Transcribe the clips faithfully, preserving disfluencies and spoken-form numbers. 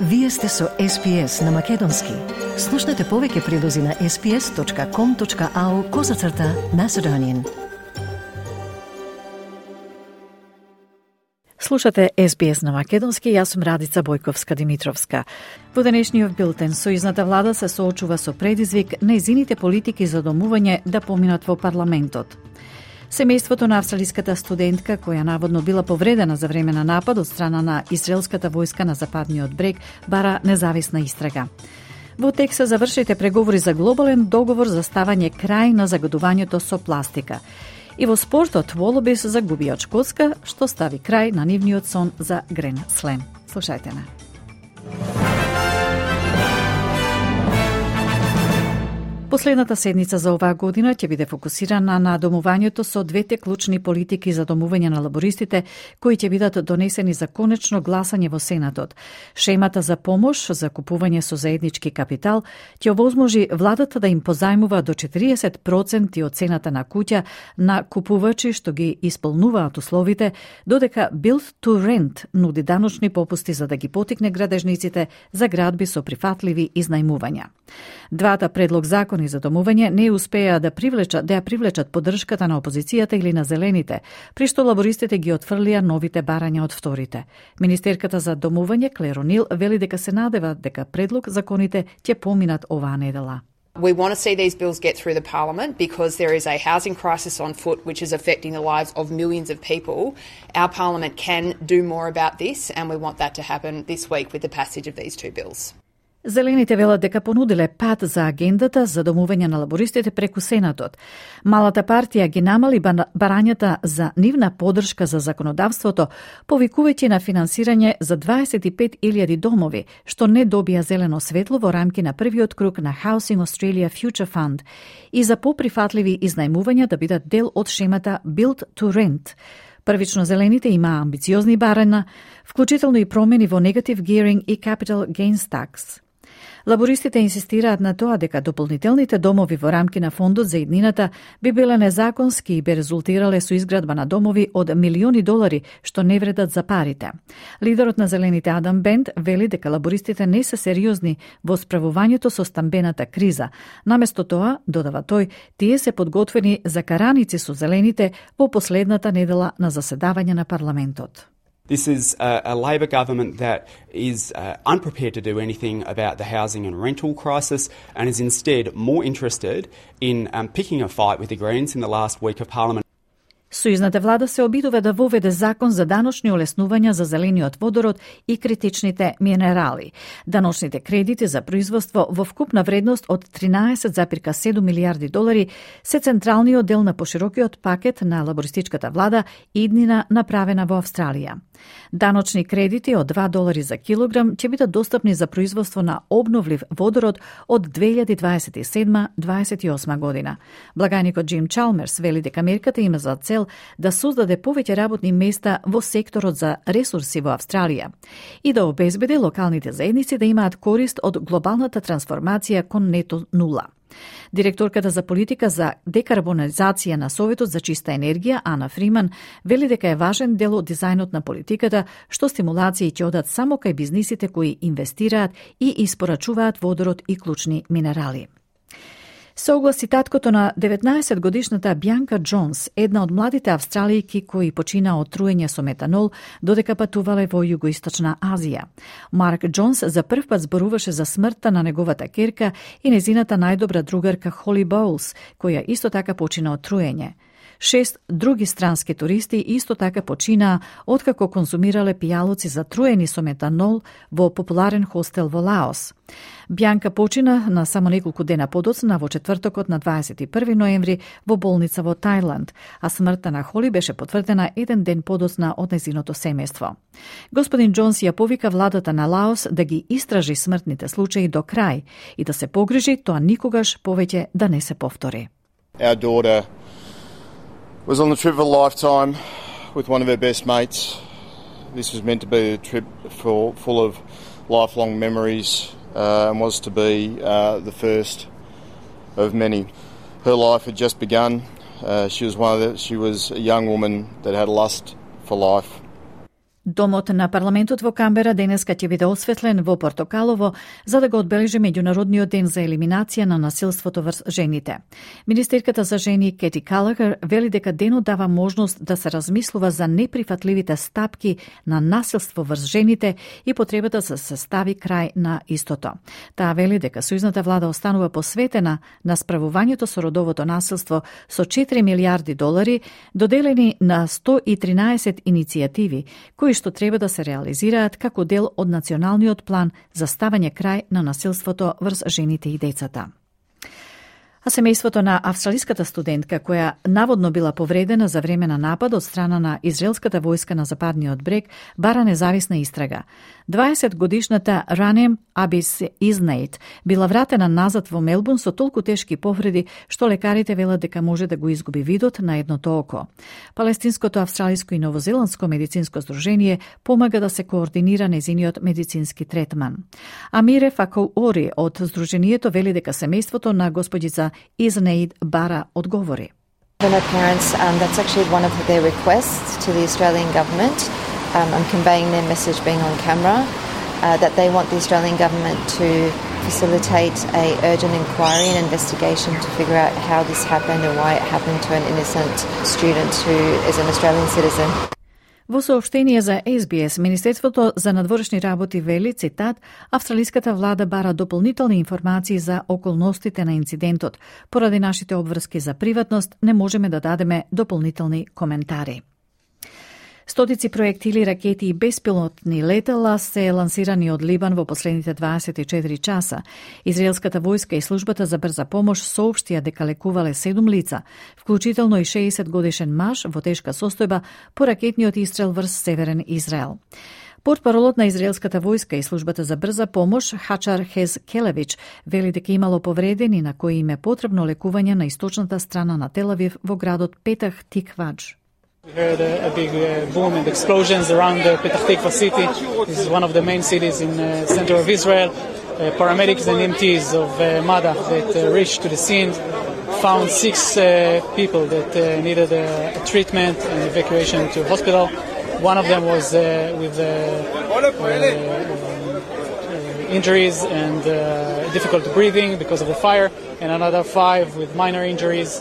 Вие сте со Ес Би Ес на Македонски. Слушнете повеќе прилози на ес би ес точка ком точка ау козацрта Macedonian. Слушате Ес Би Ес на Македонски, јас сум Радица Бојковска-Димитровска. Во денешниот билтен, сојузната влада се соочува со предизвик нејзините политики за домување да поминат во парламентот. Семејството на австралиската студентка, која наводно била повредена за време на напад од страна на израелската војска на западниот брег, бара независна истрага. Во Тексас завршите преговори за глобален договор за ставање крај на загадувањето со пластика. И во спортот Волобис загуби од Шкотска, што стави крај на нивниот сон за Грен Слем. Слушајте на. Последната седница за оваа година ќе биде фокусирана на домувањето со двете клучни политики за домување на лабористите, кои ќе бидат донесени за конечно гласање во Сенатот. Шемата за помош за купување со заеднички капитал ќе овозможи владата да им позајмува до четириесет проценти од цената на куќа на купувачи што ги исполнуваат условите, додека Build to Rent нуди даночни попусти за да ги потикне градежниците за градби со прифатливи изнајмувања. Двата предлог закони за домување не успеа да привлечат да ја привлечат поддршката на опозицијата или на зелените, при што лабористите ги отфрлија новите барања од вторите. Министерката за домување Клер О'Нил вели дека се надева дека предлог законите ќе поминат оваа недела. We want to see these bills get through the parliament because there is a housing crisis on foot which is affecting the lives of millions of people. Our parliament can do more about this and we want that to happen this week with the passage of these two bills. Зелените велат дека понудиле пат за агендата за домување на лабористите преку Сенатот. Малата партија ги намали барањата за нивна поддршка за законодавството, повикувајќи на финансирање за дваесет и пет илјади домови, што не добија зелено светло во рамки на првиот круг на Housing Australia Future Fund и за поприфатливи изнајмувања да бидат дел од шемата Build to Rent. Првично зелените имаа амбициозни барања, вклучително и промени во Negative Gearing и Capital Gains Tax. Лабористите инсистираат на тоа дека дополнителните домови во рамки на фондот за иднината би биле незаконски и би резултирале со изградба на домови од милиони долари, што не вредат за парите. Лидерот на Зелените Адам Бент вели дека лабористите не се сериозни во справувањето со стамбената криза. Наместо тоа, додава тој, тие се подготвени за караници со зелените во последната недела на заседавање на парламентот. This is a, a Labor government that is uh, unprepared to do anything about the housing and rental crisis and is instead more interested in um, picking a fight with the Greens in the last week of Parliament. Сојузната влада се обидува да воведе закон за даночни олеснувања за зелениот водород и критичните минерали. Даночните кредити за производство во вкупна вредност од тринаесет зарез седум милијарди долари се централниот дел на поширокиот пакет на лабористичката влада иднина направена во Австралија. Даночни кредити од два долари за килограм ќе бидат достапни за производство на обновлив водород од две илјади дваесет и седма до дваесет и осма година. Благаникот Джим Чалмерс вели дека мерката има за цел да создаде повеќе работни места во секторот за ресурси во Австралија и да обезбеди локалните заедници да имаат корист од глобалната трансформација кон нето нула. Директорката за политика за декарбонизација на Советот за чиста енергија, Ана Фриман, вели дека е важен дел од дизајнот на политиката, што стимулации ќе одат само кај бизнисите кои инвестираат и испорачуваат водород и клучни минерали. Се огласи таткото на деветнаесет годишната Бјанка Джонс, една од младите австралијки кои почина од труење со метанол, додека патувале во Југоисточна Азија. Марк Джонс за прв пат зборуваше за смртта на неговата керка и незината најдобра другарка Холи Боулс, која исто така почина од труење. Шест други странски туристи исто така починаа откако конзумирале пијалоци затруени со метанол во популарен хостел во Лаос. Бјанка почина на само неколку дена подоцна во четвртокот на дваесет и први ноември во болница во Тајланд, а смртта на Холи беше потврдена еден ден подоцна од незиното семејство. Господин Джонс ја повика владата на Лаос да ги истражи смртните случаи до крај и да се погрижи тоа никогаш повеќе да не се повтори. Our daughter was on the trip of a lifetime with one of her best mates. This was meant to be a trip for, full of lifelong memories uh, and was to be uh, the first of many. Her life had just begun. Uh, she was one of the, she was a young woman that had a lust for life. Домот на парламентот во Камбера денеска ќе биде осветлен во Портокалово за да го одбележи меѓународниот ден за елиминација на насилството врз жените. Министерката за жени Кети Калагер вели дека денот дава можност да се размислува за неприфатливите стапки на насилство врз жените и потребата да се стави крај на истото. Таа вели дека сојузната влада останува посветена на справувањето со родовото насилство со четири милиарди долари доделени на сто и тринаесет иницијативи кои што треба да се реализираат како дел од националниот план за ставање крај на насилството врз жените и децата. А семејството на австралиската студентка која наводно била повредена за време на напад од страна на израелската војска на западниот брег бара независна истрага. дваесет годишната Ранем Абис Изнейт била вратена назад во Мелбурн со толку тешки повреди што лекарите велат дека може да го изгуби видот на едното око. Палестинското, австралиско и новозеландско медицинско здружение помага да се координира незиниот медицински третман. Амире Факоори од здружението вели дека семејството на господица Изнейт бара одговори. For my parents, um, that's actually one of their requests to the Australian government. Um, I'm conveying their message being on camera, uh, that they want the Australian government to facilitate a urgent inquiry and investigation to figure out how this happened and why it happened to an innocent student who is an Australian citizen. Во соопштение за Ес Би Ес, Министерството за надворешни работи вели, цитат, австралиската влада бара дополнителни информации за околностите на инцидентот. Поради нашите обврски за приватност, не можеме да дадеме дополнителни коментари. Стотици проектили, ракети и беспилотни летала се лансирани од Либан во последните дваесет и четири часа. Израелската војска и службата за брза помош соопштија дека лекувале седум лица, вклучително и шеесет годишен маж во тешка состојба по ракетниот истрел врз северен Израел. Портпаролот на израелската војска и службата за брза помош Хачар Хез Келевич вели дека имало повредени на кои им е потребно лекување на источната страна на Тел Авив во градот Петах Тиквадж. We heard a, a big uh, boom and explosions around the Petah Tikva city. This is one of the main cities in the uh, center of Israel. Uh, paramedics and E M Ts of uh, MADA that uh, reached to the scene found six uh, people that uh, needed a, a treatment and evacuation to hospital. One of them was uh, with uh, uh, uh, injuries and uh, difficult breathing because of the fire, and another five with minor injuries.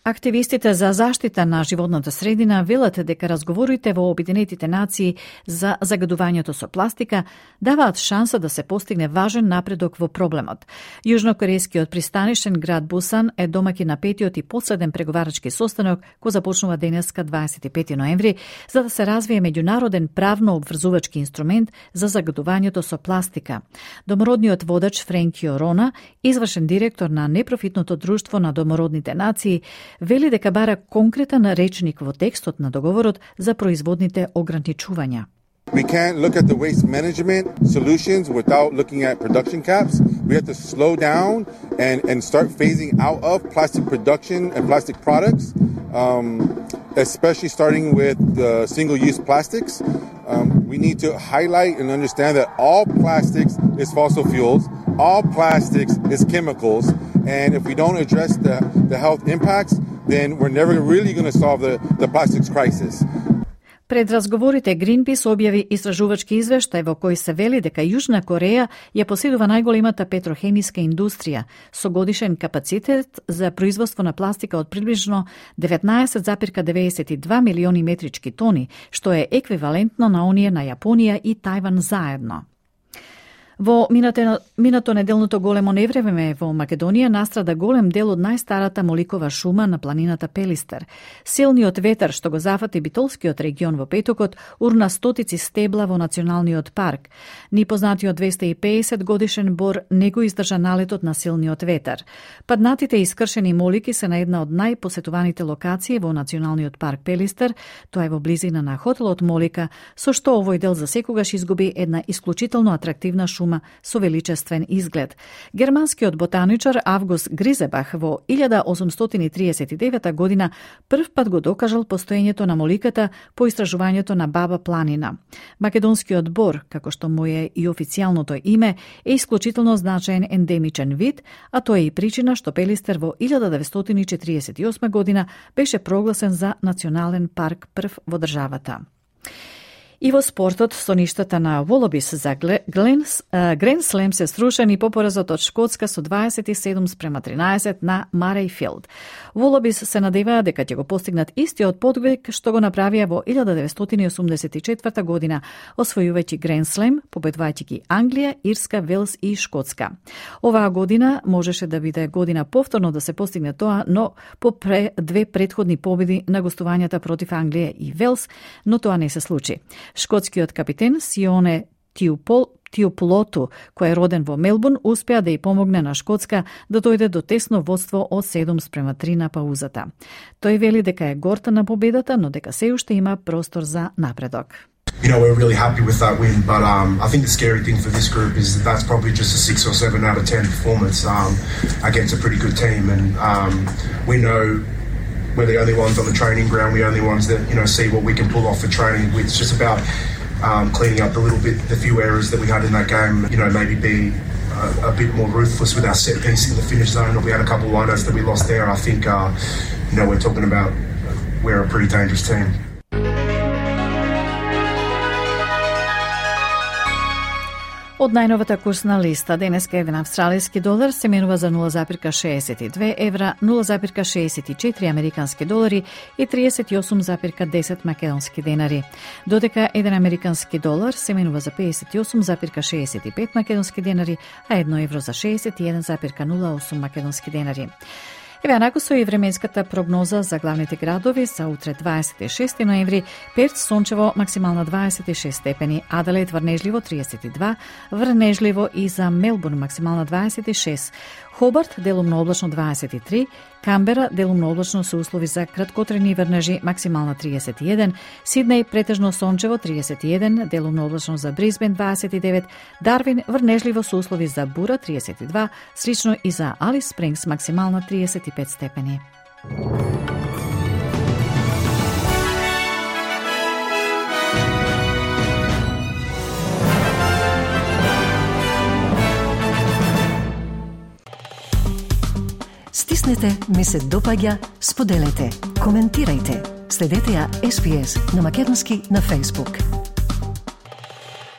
Активистите за заштита на животната средина велат дека разговорите во Обединетите нации за загадувањето со пластика даваат шанса да се постигне важен напредок во проблемот. Јужнокорејскиот пристанишен град Бусан е домаќин на петиот и последен преговарачки состанок кој започнува денеска дваесет и пети ноември за да се развие меѓународен правно обврзувачки инструмент за загадувањето со пластика. Домородниот водач Френкио Рона, извршен директор на непрофитното друштво на домородните нации, вели дека бара конкретен речник во текстот на договорот за производните ограничувања. We can't look at the waste management solutions without looking at production caps. We have to slow down and, and start phasing out of plastic production and plastic products, um, especially starting with the single-use plastics. Um, we need to highlight and understand that all plastics is fossil fuels, all plastics is chemicals, and if we don't address the, the health impacts, then we're never really going to solve the, the plastics crisis. Пред разговорите Greenpeace објави истражувачки извештај во кој се вели дека Јужна Кореја ја поседува најголемата петрохемиска индустрија со годишен капацитет за производство на пластика од приближно деветнаесет зарез деветдесет и два милиони метрички тони, што е еквивалентно на оние на Јапонија и Тајван заедно. Во минато, минато неделното големо невреме во Македонија настрада голем дел од најстарата моликова шума на планината Пелистер. Силниот ветар што го зафати Битолскиот регион во петокот урна стотици стебла во националниот парк. Ни познатиот двесте и педесет годишен бор не го издржа налетот на силниот ветар. Паднатите и искршени молики се на една од најпосетуваните локации во националниот парк Пелистер, тоа е во близина на хотелот Молика, со што овој дел за секогаш изгуби една исклучително атрактивна шума со величествен изглед. Германскиот ботаничар Август Гризебах во илјада осумстотини и триесет и девета година прв пат го докажал постоењето на моликата по истражувањето на Баба планина. Македонскиот бор, како што му е и официјалното име, е исклучително значаен ендемичен вид, а тоа е и причина што Пелистер во илјада деветстотини и четириесет и осма година беше прогласен за национален парк прв во државата. И во спортот, со ништата на Волобис за Грен Слем се струшени по поразот од Шкотска со дваесет и седум спрема тринаесет на Марейфилд. Волобис се надеваа дека ќе го постигнат истиот подвиг што го направија во илјада деветстотини и осумдесет и четврта година, освојувајќи Грен Слем, победувајќи ги Англија, Ирска, Велс и Шкотска. Оваа година можеше да биде година повторно да се постигне тоа, но по пре, две предходни победи на гостувањата против Англија и Велс, но тоа не се случи. Шкотскиот капитен Сионе Тиупол Тиополоту, кој е роден во Мелбурн, успеа да ја помогне на Шкотска да дојде до тесно водство од седум спрема три на паузата. Тој вели дека е горта на победата, но дека се уште има простор за напредок. You know, we're really happy with that win, but um, I think the scary thing for this group is that that's probably just a six or seven out of ten performance um, against a pretty good team, and um, we know we're the only ones on the training ground, we're the only ones that, you know, see what we can pull off for training. It's just about um, cleaning up a little bit the few errors that we had in that game, you know, maybe be a, a bit more ruthless with our set piece in the finish zone. We had a couple of lineouts that we lost there. I think, uh, you know, we're talking about we're a pretty dangerous team. Од најновата курсна листа, денеска еден австралиски долар се менува за нула запирка шеесет и две евра, нула запирка шеесет и четири американски долари и триесет и осум запирка десет македонски денари. Додека еден американски долар се менува за пеесет и осум запирка шеесет и пет македонски денари, а едно евро за шеесет и еден запирка нула осум македонски денари. Еве анаку со и временската прогноза за главните градови за утре дваесет и шести ноември, Перт сончево максимална дваесет и шест степени, Аделаид врнежливо триесет и два, врнежливо и за Мелбурн максимална дваесет и шест, Хобарт делумно облачно дваесет и три, Камбера делумно облачно со услови за краткотрени врнежи максимална триесет и еден, Сиднеј претежно сончево триесет и еден, делумно облачно за Брисбен дваесет и девет, Дарвин врнежливо со услови за бура триесет и два, слично и за Алис Спрингс максимална триесет и пет степени. Стиснете, ми се допаѓа, споделете, коментирајте. Следете ја Ес Би Ес на македонски на Facebook.